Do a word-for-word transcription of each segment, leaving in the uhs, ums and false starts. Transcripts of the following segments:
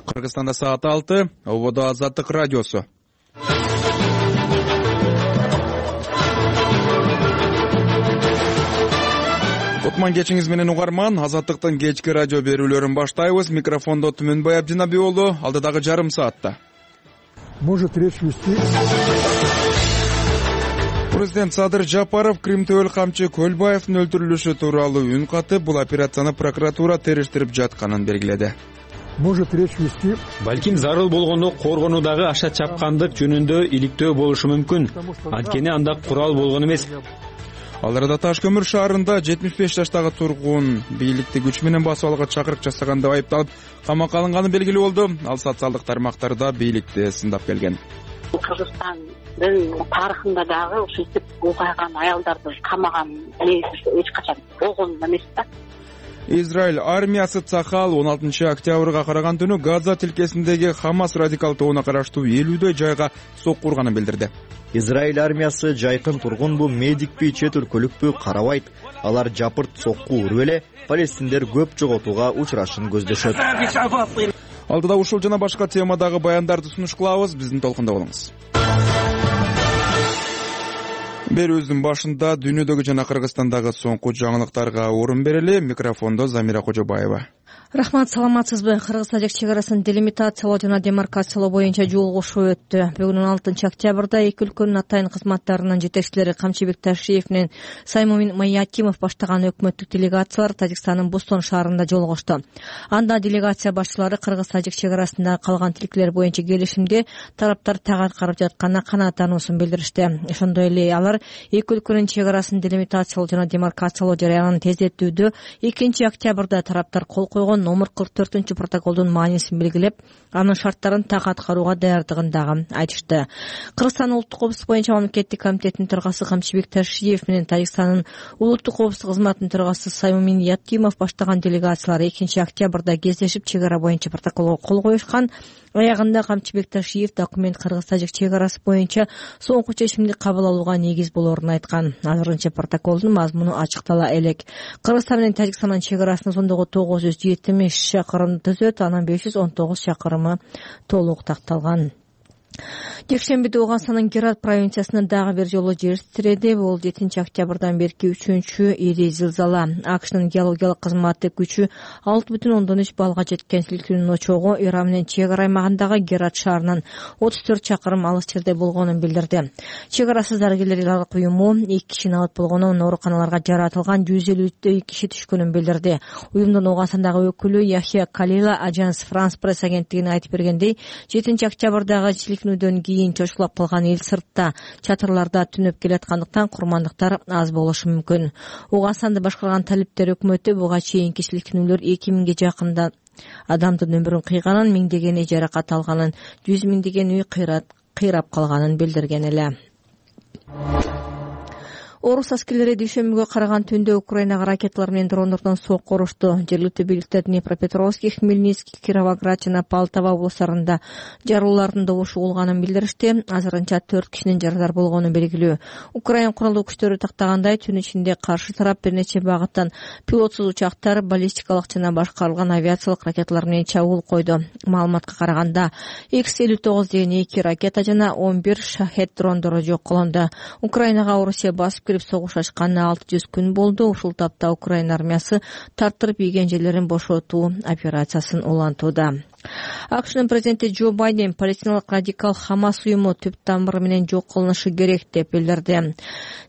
Кыргызстанда саат алты, Ободо Азаттык радиосу. Кутман кечиңиз менен угарман, Азаттыктын кечки радио берүүлөрүн баштайбыз. Микрофондо Түмөнбай Абдинаби болду. Алдыдагы жарым саатта. Может речь вести. Президент Садыр Жапаров Крим Төөл камчы Көлбаевдин өлтүрүлүшү тууралуу үн катып, бул операцияны прокуратура териштирип жатканын белгиледи. Может речь вести. Балким зарыл болгондо коргонуудагы аша чапкандык жөнүндө иликтөө болушу мүмкүн. Анткени анда курал болгон эмес. Ал арада Таш көмүр шаарында жетимиш беш жаштагы тургун бийликти күч менен басып алууга чакырык жасаган деп айыпталып, камакка алынганы белгилүү болду. Ал социалдык тармактарда бийликти сындап келген. Кыргызстандын тарыхында дагы ушинтип укайган аялдарды камаган эч качан болгон эмес да. Израиль армиясы Цахал он алтынчы октябрга караган түнү Газа тилкесиндеги Хамас радикал тобуна караштуу элүүдөй жайга сокку урганын билдирди. Израиль армиясы жайкын тургунбу, медикпи, чет өлкөлүкпү карабайт. Алар жапырт сокку уруп эле палестиндер көп жоготууга учурашын көздөшөт. Алдыда ушул жана башка темадагы баяндарды сунуш кылабыз. Биздин толкунда болуңуз. Берүүбүздүн башында дүйнөдөгү жана Кыргызстандагы соңку жаңылыктарга орун берели. Микрофондо Замира Кожобаева. Рахмат, саламатсызбы? Кыргыз-тажик чек арасын делимитациялоо жана демаркациялоо боюнча жолугушуу өттү. Бүгүн он алтынчы октябрда эки өлкөнүн атайын кызматтарынын жетекчилери Камчыбек Ташиев менен Саймомин Маякимов баштаган өкмөттүк делегациялар Тажикстандын Бустон шаарында жолугушту. Анда делегация башчылары Кыргыз-тажик чек арасындагы калган тилкелер боюнча келишимде тараптар так аткарып жатканына канааттануусун билдиришти. Ошондой эле алар эки өлкөнүн чек арасын делимитациялоо жана демаркациялоо жарыянын тездетүүдө экинчи октябрда тараптар кол койгон номер кырк төртүнчү протоколдун маанисин белгилеп, анын шарттарын так аткарууга даярдыгын дагы айтышты. Кыргызстандын улуттук коопсуздук боюнча мамлекеттик комитеттин төрагасы Камчыбек Ташиев менен Тажикстандын улуттук коопсуздук кызматынын төрагасы Саймомин Якимов баштаган делегациялар экинчи октябрда кездешип чек ара боюнча протоколго кол коюшкан. Аягында Камчыбек Ташиев документ Кыргыз-тажик чек арасы боюнча соңку чечимди кабыл алууга негиз болоорун айткан. Азырынча протоколдун мазмуну ачыктала элек. Кыргызстан менен Тажикстандын чек арасынын сондогу тогуз жүз жетимиш чакырымды түзөт, анан беш жүз он тогуз чакырымы толук такталган. Жекшембиде Ооганстандын Герат провинциясында дагы бир жолу жер титиреди. Бул жетинчи октябрдан берки үчүнчү ири зилзала. АКШнын геологиялык кызматы күчү алты бүтүн ондон үч баллга жеткен силкинүүнүн очогу Иран менен чек ара аймагындагы Герат шаарынан отуз төрт чакырым алыс жерде болгонун билдирди. Чек арасыз дарыгерлер уюму эки кишини алып болгонун, ооруканаларга жаратылган жүз элүүдөй киши түшкөнүн билдирди. Уюмдун Ооганстандагы өкүлү Яхья Калила Ажанс Франс пресс агенттигине айтып бергендей, жетинчи октябрдагы силкинүүдөн кийин чочулап калган эл сыртта чатырларда түнөп келаткандыктан курмандыктар аз болушу мүмкүн. Ооганстанды башкарган талиптер өкмөтү буга чейинки силкинүүлөр эки миңге жакында адамдын өмүрүн кыйганын, миңдегени жаракат алганын, жүз миңдеген үй кыйрап калганын билдирген эле. Орус аскерлери дүйшөмбүгө караган түндө Украинага ракеталар менен дрондордон сокку урушту. Жергиликтүү бийликтер Днепропетровский, Хмельницкий, Кировоград жана Полтава облустарында жарылуулардын добушу болгонун билдиришти. Азырынча төрт кишинин жарадар болгону белгилүү. Украин куралдуу күчтөрү тактагандай, түн ичинде каршы тарап бир нече багыттан пилотсуз учактар, баллистикалык жана башкарылган авиациялык ракеталар менен чабуул койду. Маалыматка караганда икс элүү тогуз деген эки ракета жана он бир шахет дрондору жок кылынды. Украинага Орусия басып согуш ачканына алты жүз күн болду. Ушул тапта Украина армиясы тартырып ийген жерлерин бошотуу операциясын улантууда. АКШнын президенти Джо Байден палестиналык радикал Хамас уюму түп тамыры менен жок кылынышы керек деп билдирди.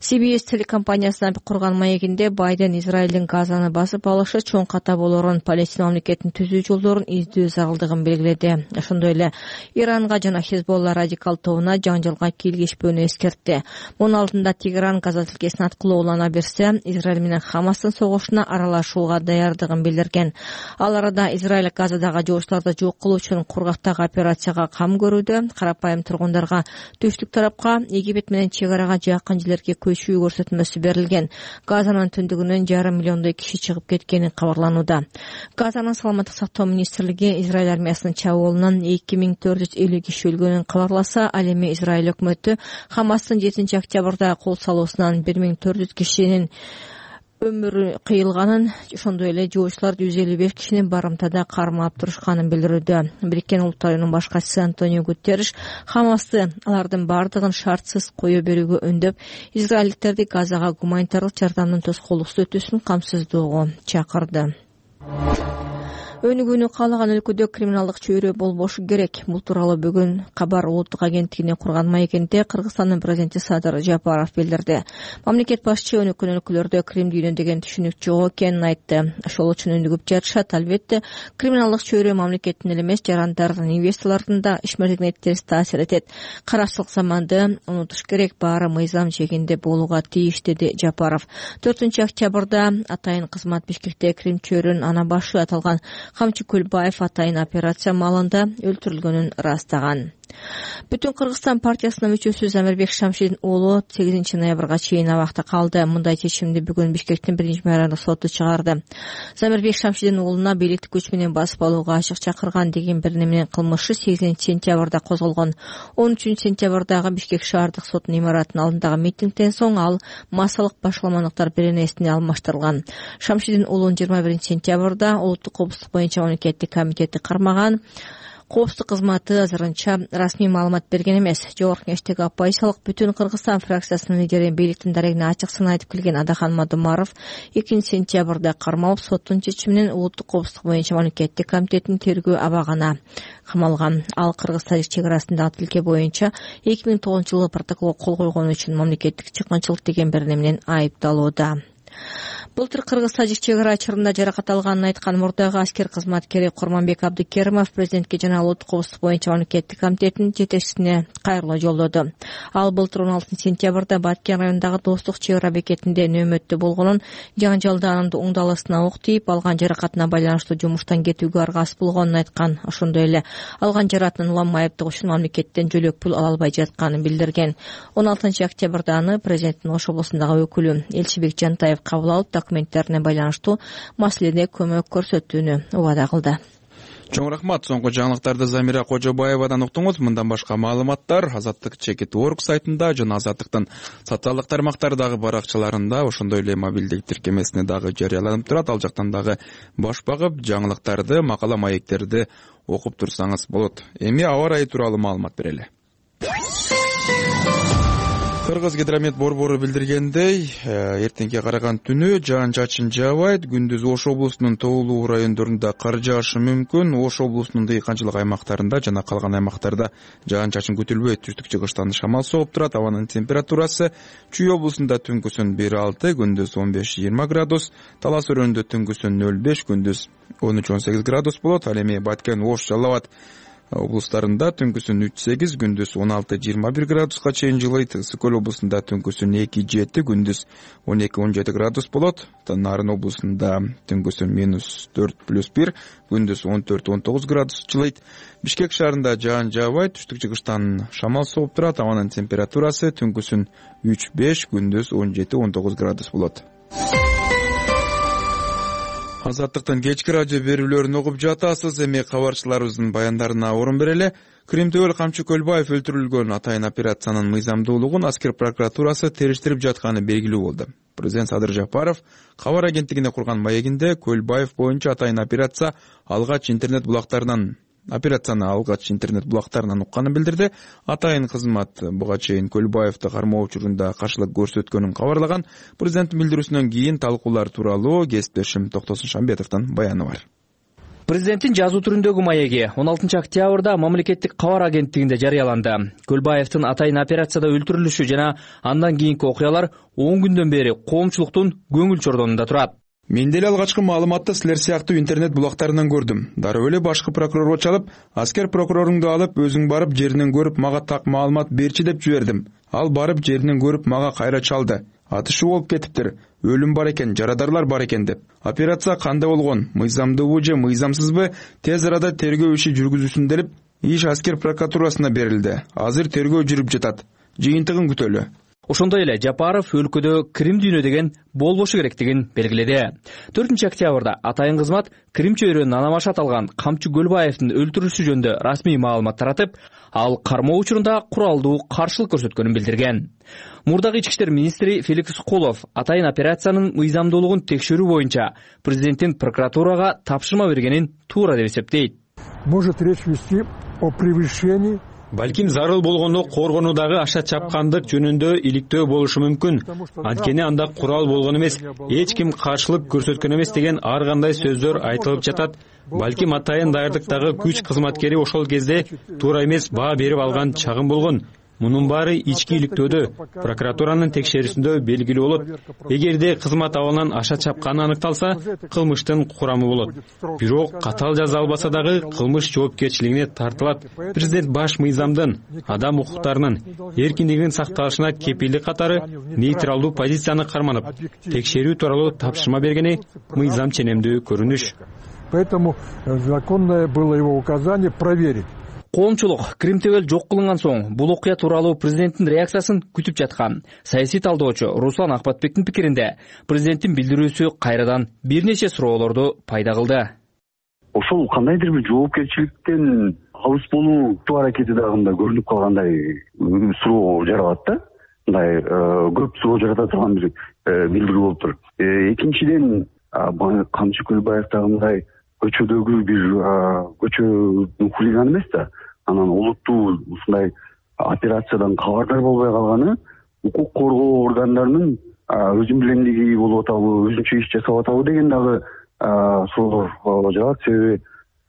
си би эс телекомпаниясына курган маегинде Байден Израилдин Газаны басып алышы чоң ката болорун, Палестина мамлекетин түзүү жолдорун издөө зарылдыгын белгиледи. Ошондой эле Иранга жана Хезболла радикал тобуна жаңжалга кийлигишпөөнү эскертти. Мунун алдында Тегеран Газа тилкесин аткылуу улана берсе, Израиль менен Хамастын согушуна аралашууга даярдыгын билдирген. Ал арада Израиль Газадагы жогуштарды жок кылуу үчүн кургактагы операцияга кам көрүүдө. Карапайым тургундарга түштүк тарапка, Египет менен чек арага жакын жерлерге көчүү көрсөтмөсү берилген. Газанын түндүгүнөн жарым миллиондой киши чыгып кеткени кабарланууда. Газанын саламаттык сактоо министрлиги Израиль армиясынын чабуулунан эки миң төрт жүз элүү киши өлгөнүн кабарласа, ал эми Израиль өкмөтү Хамастын жетинчи октябрда кол салуусунан бир миң төрт жүз кишинин өмүрү кыйылганын, ошондой эле жоочулар жүз элүү беш кишини барымтада кармап турушканын билдирүүдө. Бириккен Улуттар уюмунун башкачысы Антонио Гутерриш Хамасты алардын бардыгын шартсыз кое берүүгө үндөп, израилдиктерди Газага гуманитардык жардамдын тоскоолдуксуз өтүүсүн камсыздоого чакырды. Өнүгүүнү каалаган өлкөдө криминалдык чөйрө болбошу керек. Бул тууралуу бүгүн Кабар улуттук агенттигине курган маегинде Кыргызстандын президенти Садыр Жапаров билдирди. Мамлекет башчы өнүккөн өлкөлөрдө крим дүйнө деген түшүнүк жок экенин айтты. Ошол үчүн өнүгүп жатышат. Албетте, криминалдык чөйрө мамлекеттин эле эмес, жарандардын, инвесторлордун да ишмердигине терс таасир этет. Каракчылык заманды унутуш керек, баары мыйзам чегинде болууга тийиш, деди Жапаров. төртүнчү октябрда атайын кызмат Бишкекте крим чөйрөнүн ана башы аталган Камчы Көлбаев атайын операция маалында өлтүрүлгөнүн ырастаган. Бүтүн Кыргызстан партиясынын мүчөсү Замирбек Шамшидин уулу сегизинчи ноябрга чейин абакта калды. Мындай чечимди бүгүн Бишкектин биринчи мэрия соту чыгарды. Замирбек Шамшидин уулуна бийликти күч менен басып алууга ачык чакырган деген бир неменин кылмышы сегизинчи сентябрда козголгон. он үчүнчү сентябрдагы Бишкек шаардык сотунун имаратынын алдындагы митингден соң ал массалык башаламандыктар беренесине алмаштырылган. Шамшидин уулун жыйырма биринчи сентябрда улуттук коопсуздук боюнча мамлекеттик комитети кармаган. Коопсуздук кызматы азырынча расмий маалымат берген эмес. Жогорку Кеңештеги оппозициялык Бүтүн Кыргызстан фракциясынын лидери бийликтин дарегине ачык сын айтып келген Адахан Мадумаров экинчи сентябрда кармалып, соттун чечиминен улуттук коопсуздук боюнча мамлекеттик комитеттин тергөө абагына камалган. Ал Кыргыз-Тажик чек арасындагы тилке боюнча эки миң тогузунчу жылы протоколго кол койгон үчүн мамлекеттик чыккынчылык деген бир неме менен айыпталууда. Былтыр Кыргыз-Тажик чек ара чырында жаракат алганын айткан мурдагы аскер кызматкери Курманбек Абдыкеримов президентке жана улуттук коопсуздук боюнча мамлекеттик комитеттин жетекчисине кайрылуу жолдоду. Ал былтыр он алтынчы сентябрда Баткен районундагы Достук чек ара бекетинде нөөмөттө болгонун, жаңжалда анын уңдалысына ок тийип, алган жаракатына байланыштуу жумуштан кетүүгө аргасыз болгонун айткан. Ошондой эле алган жаракатын улам айыптоо үчүн мамлекеттен жөлөк пул ала албай жатканын билдирген. он алтынчы октябрда аны президенттин Ош облусундагы өкүлү Элчибек Жантаев кабыл алып, документтерине байланыштуу маселеде көмөк көрсөтүүнү убада кылды. Чоң рахмат. Соңку жаңылыктарды Замира Кожобаевадан уктуңуз. Мындан башка маалыматтар Азаттык чекит точка орг сайтында жана Азаттыктын социалдык тармактардагы баракчаларында, ошондой эле мобилдик тиркемесине дагы жарыяланып турат. Ал жактан дагы баш багып, жаңылыктарды, макала маектерди окуп турсаңыз болот. Эми аба ырайы тууралуу маалымат берели. Кыргыз гидромет борбору билдиргендей, эртеңге караган түнү жаан-чачын жаабайт. Күндүз Ош облусунун тоолуу райондорунда кар жаашы мүмкүн. Ош облусунун дыйканчылык аймактарында жана калган аймактарда жаан-чачын күтүлбөйт. Түштүк-чыгыштан шамал сооп турат. Абанын температурасы Чүй облусунда түнкүсүн бир алты, күндүз он беш жыйырма градус, Талас өрөөнүндө түнкүсүн нөл беш, күндүз он үч он сегиз градус болот. Ал эми Баткен, Ош, Жалал Абад облустарында түнкүсүн үч сегиз, күндүз он алты жыйырма бир градуска чейин жылыйт. Ысык көл облусунда түнкүсүн эки жети, күндүз он эки он жети градус болот. Нарын облусунда түнкүсүн минус төрт плюс бир, күндүз он төрт он тогуз градус жылыйт. Бишкек шаарында жаан жаабайт, түштүк-чыгыштан шамал сооп турат. Абанын температурасы түнкүсүн үч беш, күндүз он жети он тогуз градус болот. Азаттыктын кечки радио берүүлөрүн угуп жатасыз. Эми кабарчыларыбыздын баяндарына орун берели. Кримтөөл Камчы Көлбаев өлтүрүлгөн атайын операциянын мыйзамдуулугун аскер прокуратурасы териштирип жатканы белгилүү болду. Президент Садыр Жапаров кабар агенттигине курган маегинде Көлбаев боюнча атайын операция алгач интернет булактарынан Операцияны алгач интернет булактарынан укканын билдирди. Атайын кызмат буга чейин Көлбаевди кармоо учурунда каршылык көрсөткөнүн кабарлаган. Президенттин билдирүүсүнөн кийин талкуулар тууралуу кесиптешим Токтосун Шамбетовдун баяны бар. Президенттин жазуу түрүндөгү маеги он алтынчы октябрда мамлекеттик кабар агенттигинде жарыяланды. Көлбаевдин атайын операцияда өлтүрүлүшү жана андан кийинки окуялар он күндөн бери коомчулуктун көңүл чордонунда турат. Мен деле алгачкы маалыматты силер сыяктуу интернет булактарынан көрдүм. Дароо эле башкы прокурорго чалып, аскер прокуроруңду алып, өзүң барып жеринен көрүп мага так маалымат берчи деп жибердим. Ал барып жеринен көрүп мага кайра чалды. Атышуу болуп кетиптир. Өлүм бар экен, жарадарлар бар экен деп. Операция кандай болгон? Мыйзамдуубу же мыйзамсызбы? Тез арада тергөө иши жүргүзүлсүн деп иш аскер прокуратурасына берилди. Азыр тергөө жүрүп жатат. Жыйынтыгын күтөлү. Ошондой эле Жапаров өлкөдө Крим дүйнө деген болбошу керектигин белгиледи. төртүнчү октябрда атайын кызмат Крим чөйрөнүн анамашы аталган Камчы Көлбаевдин өлтүрүлүшү жөнүндө расмий маалымат таратып, ал кармоо учурунда куралдуу каршылык көрсөткөнүн билдирген. Мурдагы ички иштер министри Феликс Колов атайын операциянын мыйзамдуулугун текшерүү боюнча президенттин прокуратурага тапшырма бергенин туура деп эсептейт. Может речь вести о превышении. Балким зарыл болгондо коргонуудагы аша чапкандык жөнүндө иликтөө болушу мүмкүн. Анткени анда курал болгон эмес, эч ким каршылык көрсөткөн эмес деген ар кандай сөздөр айтылып жатат. Балким атайын даярдыктагы күч кызматкери ошол кезде туура эмес баа берип алган чагым болгон. Мунун баары ички иликтөөдө, прокуратуранын текшерүүсүндө белгилүү болот. Эгерде кызмат абалынан аша чапканы аныкталса, кылмыштын курамы болот. Бирок катаал жаза албаса дагы кылмыш жоопкерчилигине тартылат. Президент баш мыйзамдын, адам укуктарынын, эркиндигинин сакталышына кепилдик катары нейтралдуу позицияны карманып, текшерүү тууралуу тапшырма бергени мыйзам ченемдүү көрүнүш. Поэтому законное было его указание проверить. Коомчулук Крим түгөл жок кылынган соң бул окуя тууралуу президенттин реакциясын күтүп жаткан. Саясий талдоочу Руслан Акбатбектин пикиринде, президенттин билдирүүсү кайрадан бир нече суроолорду пайда кылды. Ошол кандайдыр бир жоопкерчиликтен алыс болуу аракети дагы мындай көрүнүп калгандай суроо жаралат да. Мындай көп суроо жарата турган бир билдирүү болуп тур. Экинчиден, Камчы Көлбаев дагы мындай көчөдөгү бир көчөнүн хулиганы эмес да, анан олуттуу ушундай операциядан кабардар болбой калганы укук коргоо органдарынын өзүн билемдиги болуп атабы, өзүнчө иш жасап атабы деген дагы суроолор жаралат. Себеби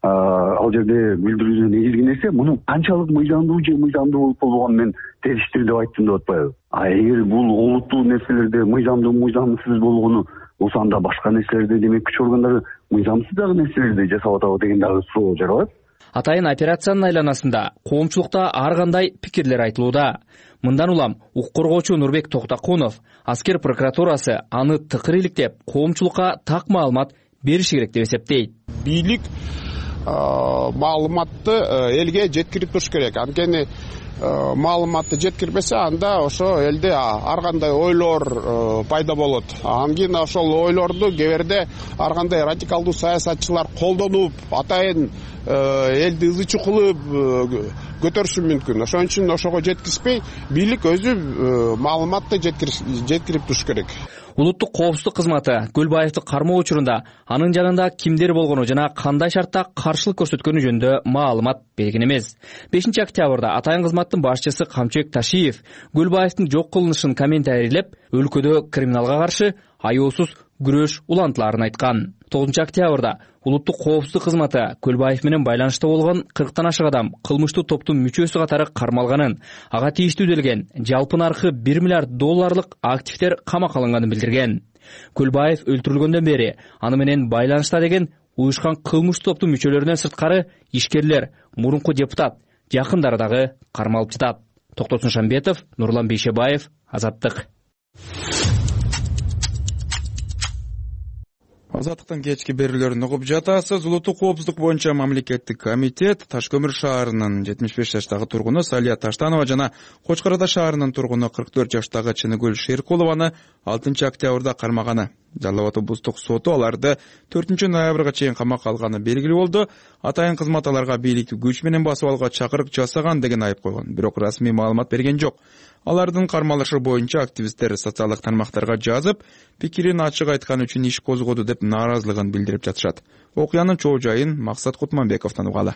ал жерде билдирүүдө негизги нерсе мунун канчалык мыйзамдуу же мыйзамдуу болуп болбогонун мен териштир деп айттым деп атпайбы. А эгер бул олуттуу нерселерде мыйзамдуу мыйзамсыз болгону болсо, анда башка нерселерде демек күч органдары мыйзамсыз дагы нерселерди жасап атабы деген дагы суроо жаралат. Атайын операциянын айланасында коомчулукта ар кандай пикирлер айтылууда. Мындан улам укук коргоочу Нурбек Токтокунов аскер прокуратурасы аны тыкыр иликтеп, коомчулукка так маалымат бериши керек деп эсептейт. Бийлик маалыматты элге жеткирип туруш керек. Анткени маалыматты жеткирбесе, анда ошо элде ар кандай ойлор пайда болот. Андан кийин ошол ойлорду кээ ар кандай радикалдуу саясатчылар колдонуп, атайын элди ызы кылып көтөрүшү мүмкүн. Ошон үчүн ошого жеткизбей, бийлик өзү маалыматты жеткирип туруш керек. Улуттук коопсуздук кызматы Көлбаевди кармоо учурунда анын жанында кимдер болгону жана кандай шартта каршылык көрсөткөнү жөнүндө маалымат берген эмес. бешинчи октябрда атайын кызматтын башчысы Камчыбек Ташиев Көлбаевдин жок кылынышын комментарийлеп, өлкөдө криминалга каршы аяосуз күрөш улантыларын айткан. тогузунчу октябрда улуттук коопсуздук кызматы Көлбаев менен байланышта болгон кырктан ашык адам кылмыштуу топтун мүчөсү катары кармалганын, ага тийиштүү делген жалпы наркы бир миллиард долларлык активдер камакка алынганын билдирген. Көлбаев өлтүрүлгөндөн бери аны менен байланышта деген уюшкан кылмыштуу топтун мүчөлөрүнөн сырткары ишкерлер, мурунку депутат, жакындары дагы кармалып жатат. Токтосун Шамбетов, Нурлан Бейшебаев, Азаттык. Азаттыктын кечки берүүлөрүн угуп жатасыз. Улуттук коопсуздук боюнча мамлекеттик комитет Таш көмүр шаарынын жетимиш беш жаштагы тургуну Салия Таштанова жана Кочкор Ата шаарынын тургуну кырк төрт жаштагы Чыныкөл Шеркулованы алтынчы октябрда кармаганы. Жалал абад облустук соту аларды төртүнчү ноябрга чейин камакка алганы белгилүү болду. Атайын кызмат аларга бийликти күч менен басып алууга чакырык жасаган деген айып койгон. Бирок расмий маалымат берген жок. Алардын кармалышы боюнча активисттер социалдык тармактарга жазып, пикирин ачык айткан үчүн иш козгоду деп нааразылыгын билдирип жатышат. Окуянын чоо жайын Максат Кутманбековдон угалы.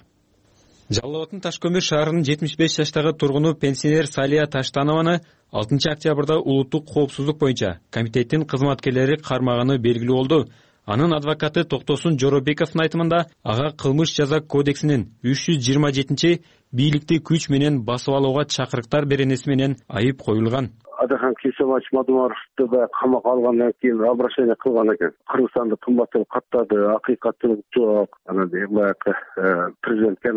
Жалал абаддын Таш көмүр шаарынын жетимиш беш жаштагы тургуну пенсионер Салия Таштанованы алтынчы октябрда улуттук коопсуздук боюнча комитеттин кызматкерлери кармаганы белгилүү болду. Анын адвокаты Токтосун Жоробековдун айтымында, ага кылмыш жаза кодексинин үч жүз жыйырма жетинчи бийликти күч менен басып алууга чакырыктар беренеси менен айып коюлган. Адахан Кесемач Мадумаровду да камакка алгандан кийин обращение кылган экен. Кыргызстанда кымбаттап каттады, акыйкаттуулук жок. Анан баягы президентке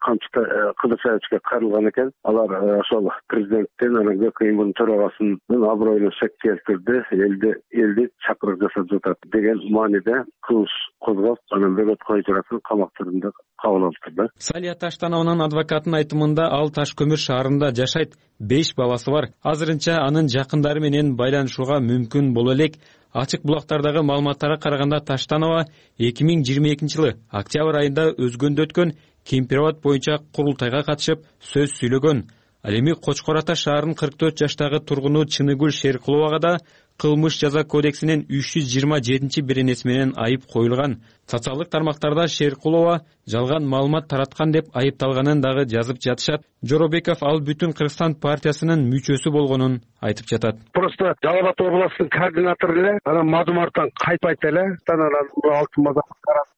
камчыта Кыдыршаевичке кайрылган экен. Алар ошол президенттен анан ГКИМдин төрагасынын аброюна шек келтирди, элди элди чакырык жасап жатат деген мааниде кылмыш козгоп анан бөгөт кое жарасын камактарында кабыл алыптыр да. Салия Таштановнун адвокатынын айтымында ал Таш көмүр шаарында жашайт, беш баласы бар. Азырынча анын жакындары менен байланышууга мүмкүн боло элек. Ачык булактардагы маалыматтарга караганда Таштанова эки миң жыйырма экинчи жылы октябрь айында өзгөндө өткөн Кемпирабад боюнча курултайга катышып сөз сүйлөгөн. Ал эми Кочкор Ата шаарынын кырк төрт жаштагы тургуну Чыныгүл Шеркуловага да кылмыш жаза кодексинин үч жүз жыйырма жетинчи беренеси менен айып коюлган. Социалдык тармактарда Шеркулова жалган маалымат тараткан деп айыпталганын дагы жазып жатышат. Жоробеков ал Бүтүн Кыргызстан партиясынын мүчөсү болгонун айтып жатат. Просто Жалал Абад областынын координатору эле анан Мадумардан кайтпайт эле, анан алтын мазак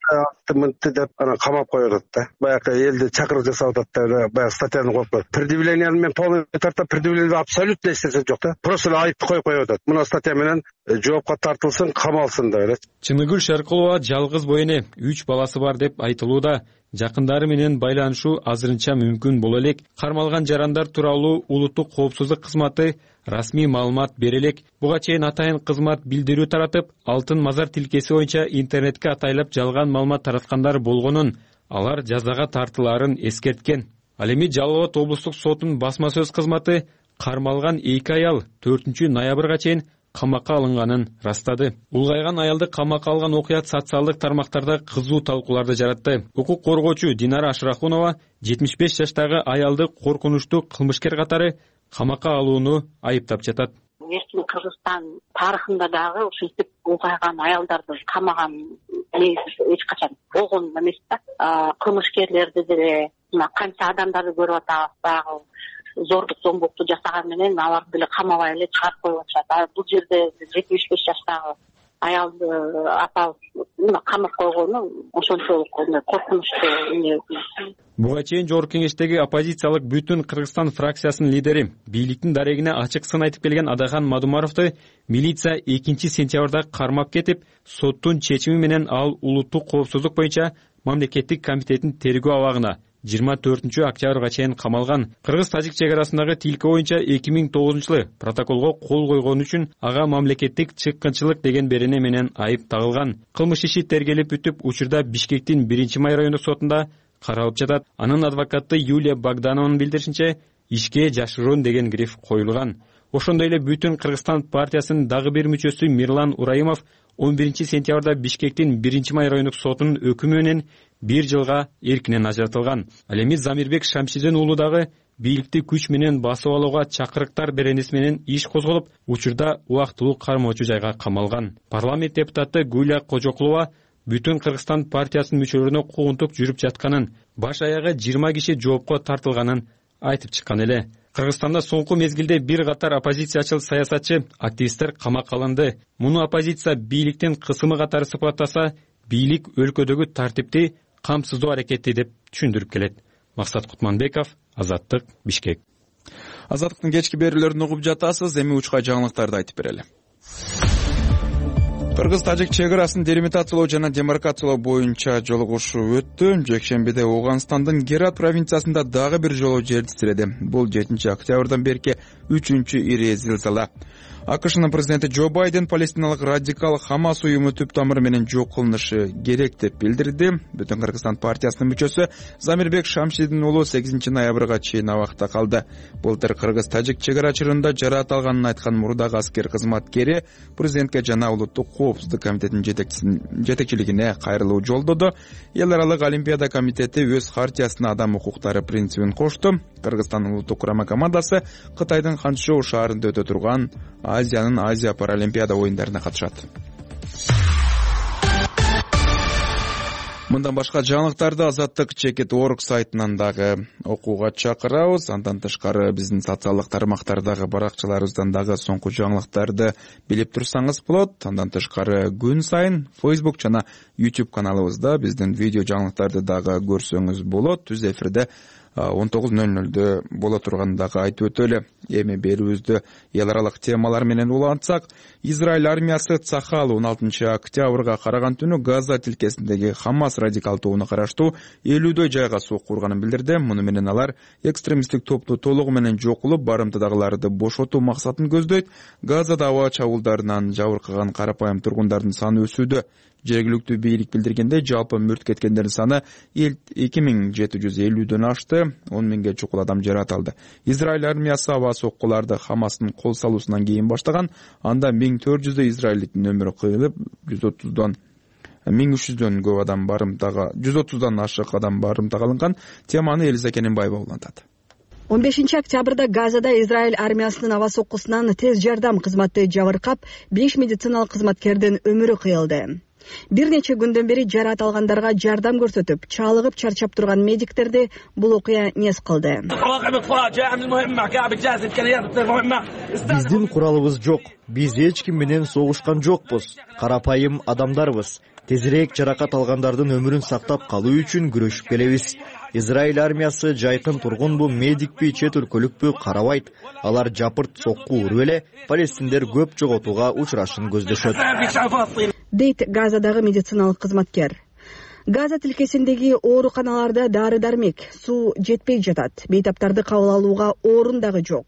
каратты мынтты деп анан камап коюп атат да. Баягы элди чакырык жасап атат да, баягы статьяны коюп коет. Предъявленияны мен полный тарта предъявление абсолютно эч нерсе жок да. Просто айыпты коюп коюп атат. Мына статья менен жоопко тартылсын, камалсын деп эле. Чыныгүл Шеркулова жалгыз бойне, үч баласы бар деп айтылууда. Жакындары менен байланышуу азырынча мүмкүн боло элек. Кармалган жарандар тууралуу улуттук коопсуздук кызматы расмий маалымат бере элек. Буга чейин атайын кызмат билдирүү таратып, алтын мазар тилкеси боюнча интернетке атайлап жалган маалымат тараткандар болгонун, алар жазага тартылаарын эскерткен. Ал эми Жалал Абад облустук сотунун басма сөз кызматы кармалган эки аял төртүнчү ноябрга чейин камакка алынганын растады. Улгайган аялды камакка алган окуя социалдык тармактарда кызуу талкууларды жаратты. Укук коргоочу Динара Ашрахунова жетимиш беш жаштагы аялды коркунучтуу кылмышкер катары камакка алууну айыптап жатат. Эркин Кыргызстан тарыхында дагы ушинтип улгайган аялдарды камаган эч качан болгон эмес да. Кылмышкерлерди деле мына канча адамдарды көрүп атабыз, дагы зордук зомбукту жасаган менен аларды деле камабай эле чыгарып коюп атышат. Бул жерде жетимиш беш жаштагы аялды апабыз мына камап койгону ошончолук коркунучтуу эмне. Буга чейин Жогорку Кеңештеги оппозициялык Бүтүн Кыргызстан фракциясынын лидери, бийликтин дарегине ачык сын айтып келген Адахан Мадумаровду милиция экинчи сентябрда кармап кетип, соттун чечими менен ал улуттук коопсуздук боюнча мамлекеттик комитеттин тергөө абагына жыйырма төртүнчү октябрга чейин камалган. Кыргыз-тажик чек арасындагы тилке боюнча эки миң тогузунчу жылы протоколго кол койгон үчүн ага мамлекеттик чыккынчылык деген берене менен айып тагылган. Кылмыш иши тергелип бүтүп, учурда Бишкектин биринчи май райондук сотунда каралып жатат. Анын адвокаты Юлия Богданованын билдиришинче, ишке жашыруун деген гриф коюлган. Ошондой эле Бүтүн Кыргызстан партиясынын дагы бир мүчөсү Мирлан Ураимов он биринчи сентябрда Бишкектин биринчи май райондук сотунун өкүмү менен бир жылга эркинен ажыратылган. Ал эми Замирбек Шамшидин уулу дагы бийликти күч менен басып алууга чакырыктар беренеси менен иш козголуп, учурда убактылуу кармоочу жайга камалган. Парламент депутаты Гүлия Кожокулова Бүтүн Кыргызстан партиясынын мүчөлөрүнө куугунтук жүрүп жатканын, баш аягы жыйырма киши жоопко тартылганын айтып чыккан эле. Кыргызстанда соңку мезгилде бир катар оппозициячыл саясатчы, активисттер камакка алынды. Муну оппозиция бийликтин кысымы катары сыпаттаса, бийлик өлкөдөгү тартипти камсыздоо аракети деп түшүндүрүп келет. Максат Кутманбеков, Азаттык, Бишкек. Азаттыктын кечки берүүлөрүн угуп жатасыз, эми учкай жаңылыктарды айтып берели. Кыргыз-тажик чек арасын делимитациялоо жана демаркациялоо боюнча жолугушуу өттү. Жекшембиде Ооганстандын Герат провинциясында дагы бир жолу жер титиреди. Бул жетинчи октябрдан берки үчүнчү ири зилзала. АКШнын президенти Джо Байден палестиналык радикал Хамас уюму түп тамыры менен жок кылынышы керек деп билдирди. Бүтүн Кыргызстан партиясынын мүчөсү Замирбек Шамшидин уулу сегизинчи ноябрга чейин абакта калды. Былтыр Кыргыз-тажик чек ара чырында жараат алганын айткан мурдагы аскер кызматкери президентке жана улуттук коопсуздук комитетинин жетекчилигине кайрылуу жолдоду. Эл аралык Олимпиада комитети өз хартиясына адам укуктары принцибин кошту. Кыргызстандын улуттук курама командасы Кытайдын Ханчжоу шаарында өтө турган Азиянын Азия паралимпиада оюндарына катышат. Мындан башка жаңылыктарды Азаттык чекит точка орг сайтынан дагы окууга чакырабыз. Андан тышкары биздин социалдык тармактардагы баракчаларыбыздан дагы соңку жаңылыктарды билип турсаңыз болот. Андан тышкары күн сайын Facebook жана YouTube каналыбызда биздин видео жаңылыктарды дагы көрсөңүз болот. Түз эфирде он тогуз ноль нолдо боло турганын дагы айтып өтөлү. Эми берүүбүздү эл аралык темалар менен улантсак, Израиль армиясы Цахал он алтынчы октябрга караган түнү Газа тилкесиндеги Хамас радикал тобуна караштуу элүүдөй жайга сокку урганын билдирди. Муну менен алар экстремисттик топту толугу менен жок кылып, барымтадагыларды бошотуу максатын көздөйт. Газада аба чабуулдарынан жабыркаган карапайым тургундардын саны өсүүдө. Жергиликтүү бийлик билдиргендей, жалпы мүрт кеткендердин саны эки миң жети жүз элүүдөн ашты, он миңге чукул адам жаратылды. Израиль армиясы аба соккуларды Хамастын кол салуусунан кийин баштаган. Анда миң төрт жүздөй израилдиктин өмүрү кыйылып, жүз отуздан миң үч жүздөн көп адам барымтага жүз отуздан ашык адам барымтага алынган. Теманы Элиза Кененбаева улантат. он бешинчи октябрда Газада Израиль армиясынын аба соккусунан тез жардам кызматы жабыркап, беш медициналык кызматкердин өмүрү кыйылды. Бир нече күндөн бери жараат алгандарга жардам көрсөтүп, чалыгып чарчап турган медиктерди бул окуя нес кылды. Биздин куралыбыз жок. Биз эч ким менен согушкан жокпуз. Карапайым адамдарбыз. Тезирээк жаракат алгандардын өмүрүн сактап калуу үчүн күрөшүп келебиз. Израиль армиясы жайкын тургунбу, медикпи, чет өлкөлүкпү карабайт. Алар жапырт сокку уруп эле палестиндер көп жоготууга учурашын көздөшөт, дейт Газадагы медициналык кызматкер. Газа тилкесиндеги ооруканаларда дары-дармек, суу жетпей жатат. Бейтаптарды кабыл алууга орун дагы жок.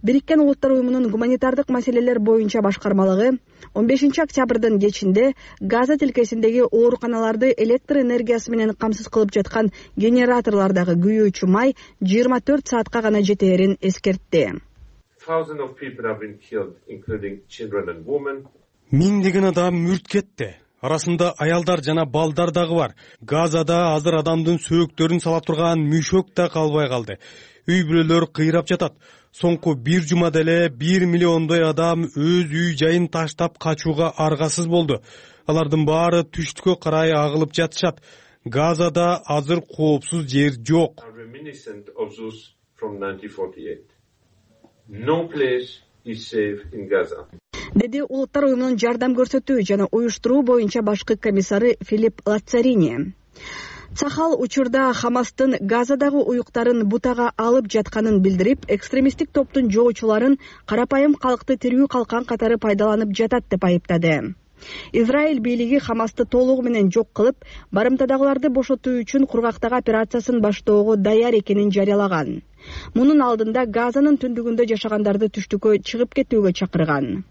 Бириккен Улуттар уюмунун гуманитардык маселелер боюнча башкармалыгы он бешинчи октябрдын кечинде Газа тилкесиндеги ооруканаларды электр энергиясы менен камсыз кылып жаткан генераторлордогу күйүүчү май жыйырма төрт саатка гана жетээрин эскертти. Миңдеген адам мүрт кетти. Арасында аялдар жана балдар дагы бар. Газада азыр адамдын сөөктөрүн салап турган мүшөк да калбай калды. Үй бүлөлөр кыйрап жатат. Соңку бир жумада эле бир миллиондой адам өз үй жайын таштап качууга аргасыз болду. Алардын баары түштүккө карай агылып жатышат. Газада азыр коопсуз жер жок. Деди Улуттар уюмунун жардам көрсөтүү жана уюштуруу боюнча башкы комиссары Филипп Лацарини. Цахал учурда Хамастын Газадагы уюктарын бутага алып жатканын билдирип, экстремисттик топтун жоочуларын карапайым калкты тирүү калкан катары пайдаланып жатат деп айыптады. Израиль бийлиги Хамасты толугу менен жок кылып, барымтадагыларды бошотуу үчүн кургактагы операциясын баштоого даяр экенин жарыялаган. Мунун алдында Газанын түндүгүндө жашагандарды түштүккө чыгып кетүүгө чакырган.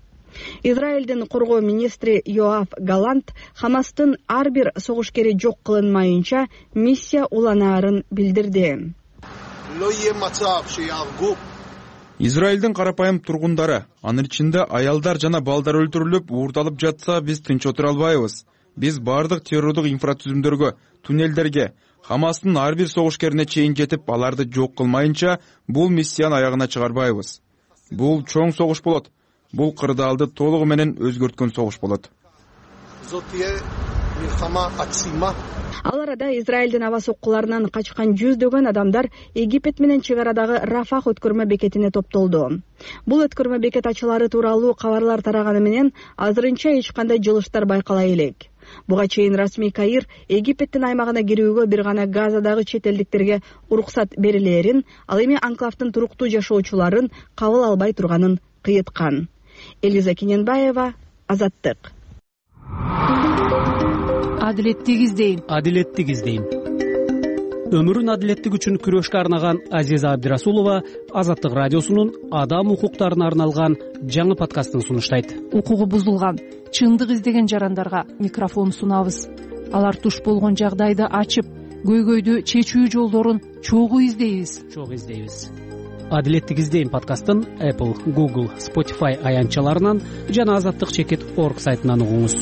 Израилдин коргоо министри Йоав Галант Хамастын ар бир согушкери жок кылынмайынча миссия уланаарын билдирди. Израилдин карапайым тургундары, анын ичинде аялдар жана балдар өлтүрүлүп, уурдалып жатса, биз тынч отура албайбыз. Биз бардык террордук инфратүзүмдөргө, туннелдерге, Хамастын ар бир согушкерине чейин жетип, аларды жок кылмайынча, бул миссияны аягына чыгарбайбыз. Бул чоң согуш болот. Бул кырдаалды толугу менен өзгөрткөн согуш болот. Ал арада Израилдин аба соккуларынан качкан жүздөгөн адамдар Египет менен чек арадагы Рафах өткөрмө бекетине топтолду. Бул өткөрмө бекет ачылары тууралуу кабарлар тараганы менен азырынча эч кандай жылыштар байкала элек. Буга чейин расмий Каир Египеттин аймагына кирүүгө бир гана Газадагы чет элдиктерге уруксат берилээрин, ал эми анклавдын туруктуу жашоочуларын кабыл албай турганын кыйыткан. Элиза Кененбаева, Азаттык. Адилеттик издейм. Адилеттик издейм. Өмүрүн адилеттик үчүн күрөшкө арнаган Азиза Абдирасулова Азаттык радиосунун адам укуктарына арналган жаңы подкастын сунуштайт. Укугу бузулган, чындык издеген жарандарга микрофон сунабыз. Алар туш болгон жагдайды ачып, көйгөйдү чечүү жолдорун чогуу издейбиз. Чогуу издейбиз. Адилеттик издейм подкастын Apple, Google, Spotify аянтчаларынан жана азаттык чекит точка орг сайтынан угуңуз.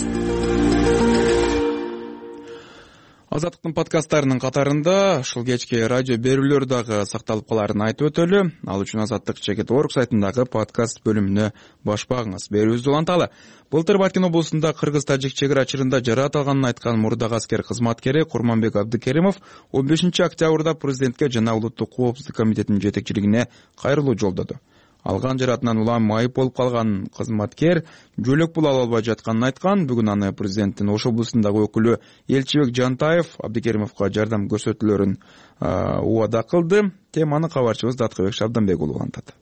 Азаттыктын подкасттарынын катарында ушул кечки радио берүүлөр дагы сакталып каларын айтып өтөлү. Ал үчүн азаттык чекит точка орг сайтындагы подкаст бөлүмүнө баш багыңыз. Берүүбүздү уланталы. Былтыр Баткен облусунда кыргыз-тажик чек ара чырында жараат алганын айткан мурдагы аскер кызматкери Курманбек Абдыкеримов он бешинчи октябрда президентке жана Улуттук коопсуздук комитетинин жетекчилигине кайрылуу жолдоду. Алган жараатынан улам майып болуп калган кызматкер жөлөк пул ала албай жатканын айткан. Бүгүн аны президенттин Ош облусундагы өкүлү Элчибек Жантаев Абдыкеримовго жардам көрсөтүүлөрүн убада кылды. Теманы кабарчыбыз Даткыбек Шабданбек уулу улантат.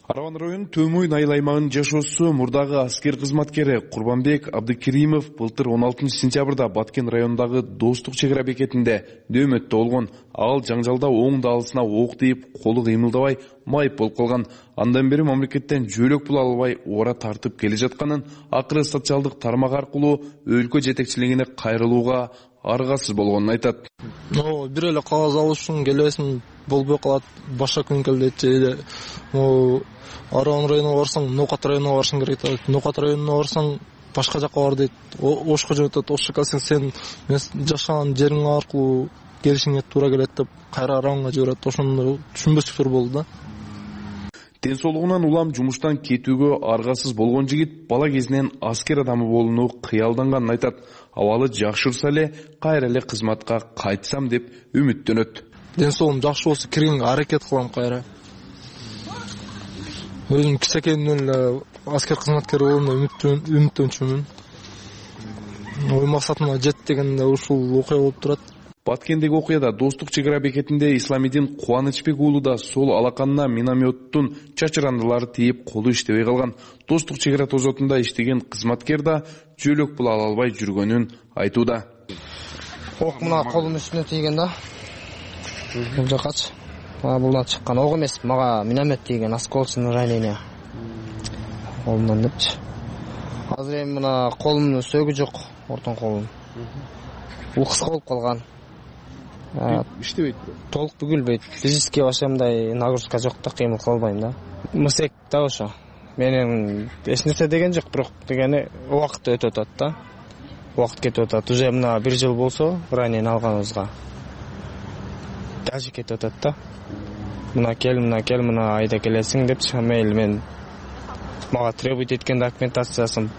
Араван районунун Төмөйн айыл аймагынын жашоосу мурдагы аскер кызматкери Курбанбек Абдыкеримов былтыр он алтынчы сентябрда Баткен районундагы Достук чек ара бекетинде дөмөттө болгон. Ал жаңжалда оң даалысына ок тийип, колу кыймылдабай майып болуп калган. Андан бери мамлекеттен жөлөк пул албай ора тартып келе жатканын, акыры социалдык тармак аркылуу өлкө жетекчилигине кайрылууга аргасыз болгонун айтат. Бир эле кагаз алыш үчүн келесиң, болбой калат, башка күн кел дейт. Эле Араван районуна барсаң, Нокат районуна барышың керек дейт. Нокат районуна барсаң, башка жакка бар дейт. Ошко жөнөтөт. Ошко келсең, сен жашаган жериң аркылуу келишиңе туура келет деп кайра Араванга жиберет. Ошондо түшүнбөстүктөр болду да. Ден соолугунан улам жумуштан кетүүгө аргасыз болгон жигит бала кезинен аскер адамы болууну кыялданганын айтат. Абалы жакшырса эле кайра эле кызматка кайтсам деп үмүттөнөт. Ден соолугум жакшы болсо киргенге аракет кылам кайра. Өзүм кичинекейимден эле аскер кызматкери болууну үмүттөнчүмүн. Ой максатыма жет дегенде ушул окуя болуп турат. Баткендеги окуяда Достук чек ара бекетинде Исламидин Кубанычбек уулу да сол алаканына минометтун чачырандылары тийип колу иштебей калган. Достук чек ара тозотунда иштеген кызматкер да жөлөк пул ала албай жүргөнүн айтууда. Ок мына колумдун үстүнө тийген да. Бул жакачы. Мага булдан чыккан ок эмес, мага миномет тийген, осколочное ранение. Колумдан депчи. Азыр эми мына колумдун сөөгү жок, ортон колум. Бул кыска болуп калган. Иштебейт. Толук бүгүлбөйт. Физически вообще мындай нагрузка жок да, кыймыл кыла албайм да. Мысек да ошо. Менин эч нерсе деген жок, бирок дегени убакыт өтүп атат да. Убакыт кетип атат. Уже мына бир жыл болсо, ранение алганыбызга. Даже кетип атат да. Мына кел, мына кел, мына айда келесиң депчи, мейли мен мага требует эткен документациясын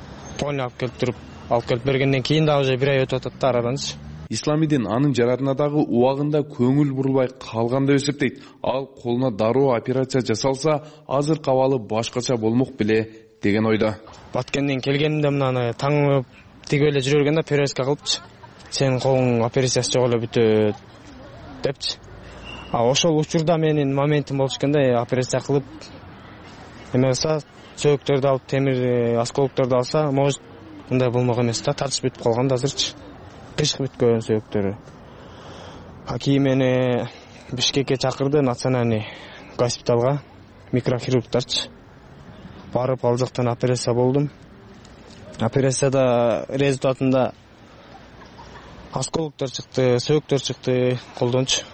полный алып келип туруп, алып келип бергенден кийин да уже бир ай өтүп атат да араданчы. Исламидин анын жаратына дагы убагында көңүл бурулбай калган деп эсептейт. Ал колуна дароо операция жасалса, азыр кабалы башкача болмок беле деген ойдо. Баткенден келгенимде мынаны таң тигип эле жүрө бергенде перевязка кылыпчы. Сенин колуң операциясы жок эле бүтөт депчи. А ошол учурда менин моментим болчу экенде, операция кылып эмесе сөөгүктөрдү алып, темир осколокторду алса, может мындай болмок эмес да, тартыш бүтүп калган да азырчы. Кышкы бүткөн сөөгүктөрү. А кийин мени Бишкекке чакырды, национальный госпиталга, микрохирургтарчы. Барып ал жактан операция болдум. Операцияда результатында осколоктор чыкты, сөөгүктөр чыкты колдончу.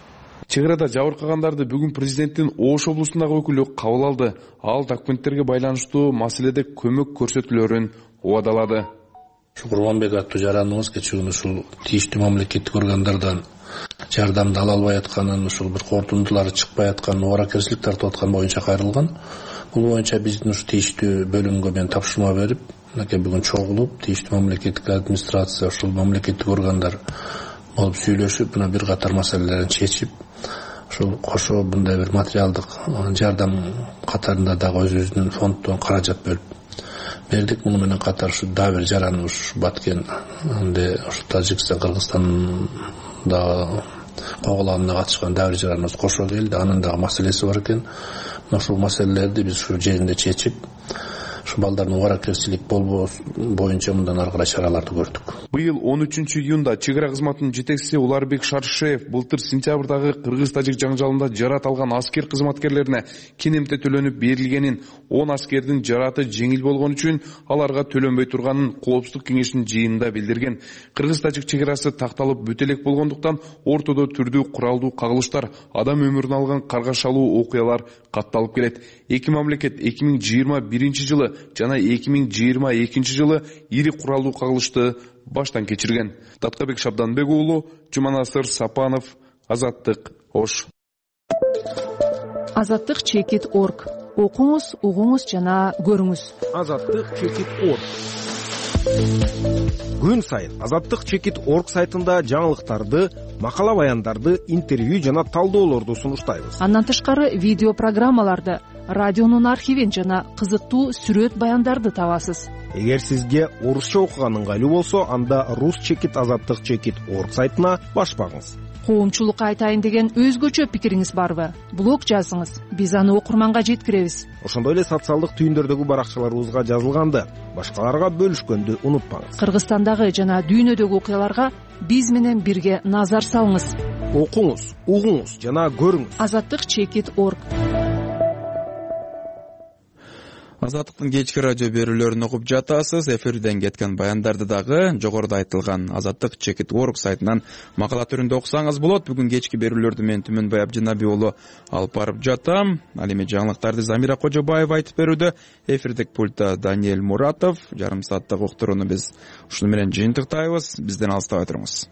Чек арада жабыркагандарды бүгүн президенттин Ош облусундагы өкүлү кабыл алды. Ал документтерге байланыштуу маселеде көмөк көрсөтүүлөрүн убадалады. Курбанбек аттуу жараныбыз кечээ ушул тийиштүү мамлекеттик органдардан жардамды ала албай атканын, ушул бир корутундулары чыкпай атканын, ооракерчилик тартып аткан боюнча кайрылган. Бул боюнча биздин ушу тийиштүү бөлүмгө мен тапшырма берип, мынакей бүгүн чогулуп, тийиштүү мамлекеттик администрация, ушул мамлекеттик органдар болуп сүйлөшүп, мына бир катар маселелерин чечип, ушул кошо мындай бир материалдык жардам катарында дагы өзүбүздүн фонддон каражат бөлүп бердик. Муну менен катар ушу дагы бир жараныбыз Баткен, анда ушу Тажикстан, Кыргызстанда коголанына катышкан дагы бир жараныбыз кошо келди. Анын дагы маселеси бар экен. Ушул маселелерди биз ушу жеринде чечип, ушу балдардын ооракерчилик болбоосу боюнча мындан ары карай чараларды көрдүк. Быйыл он үчүнчү июнда чек ара кызматынын жетекчиси Уларбек Шаршеев былтыр сентябрдагы кыргыз-тажик жаңжалында жарат алган аскер кызматкерлерине кинемте төлөнүп берилгенин, он аскердин жараты жеңил болгон үчүн аларга төлөнбөй турганын Коопсуздук кеңешинин жыйынында билдирген. Кыргыз-тажик чек арасы такталып бүтө элек болгондуктан ортодо түрдүү куралдуу кагылыштар, адам өмүрүн алган каргашалуу окуялар катталып келет. Эки мамлекет эки миң жыйырма биринчи жылы жана эки миң жыйырма экинчи жылы ири куралдуу кагылышты баштан кечирген. Таткабек Шабданбек уулу, Жуманасыр Сапанов, Азаттык, Ош. Азаттык чекит точка орг. Окуңуз, угуңуз жана көрүңүз. Азаттык чекит точка орг. Күн сайын Азаттык чекит точка орг сайтында жаңылыктарды, макала баяндарды, интервью жана талдоолорду сунуштайбыз. Андан тышкары видео программаларды, радионун архивин жана кызыктуу сүрөт баяндарды табасыз. Эгер сизге орусча окуган ыңгайлуу болсо, анда рус чекит азаттык чекит точка орг сайтына баш багыңыз. коомчулукка айтайын деген өзгөчө пикириңиз барбы? Блог жазыңыз, биз аны окурманга жеткиребиз. Ошондой эле социалдык түйүндөрдөгү баракчаларыбызга жазылганды башкаларга бөлүшкөндү унутпаңыз. Кыргызстандагы жана дүйнөдөгү окуяларга биз менен бирге назар салыңыз. Окуңуз, угуңуз жана көрүңүз. азаттык чекит точка орг. Азаттыктын кечки радио берүүлөрүн окуп жатасыз. Эфирден кеткен баяндарды дагы жогоруда айтылган азаттык чекит точка орг сайтынан макала түрүндө окусаңыз болот. Бүгүн кечки берүүлөрдү мен Түмөнбай Абдинаби уулу алып барып жатам. Ал эми жаңылыктарды Замира Кожобаева айтып берүүдө. Эфирдик пультта Даниэль Муратов. Жарым сааттык уктурууну биз ушуну менен жыйынтыктайбыз. Бизден алыстабай туруңуз.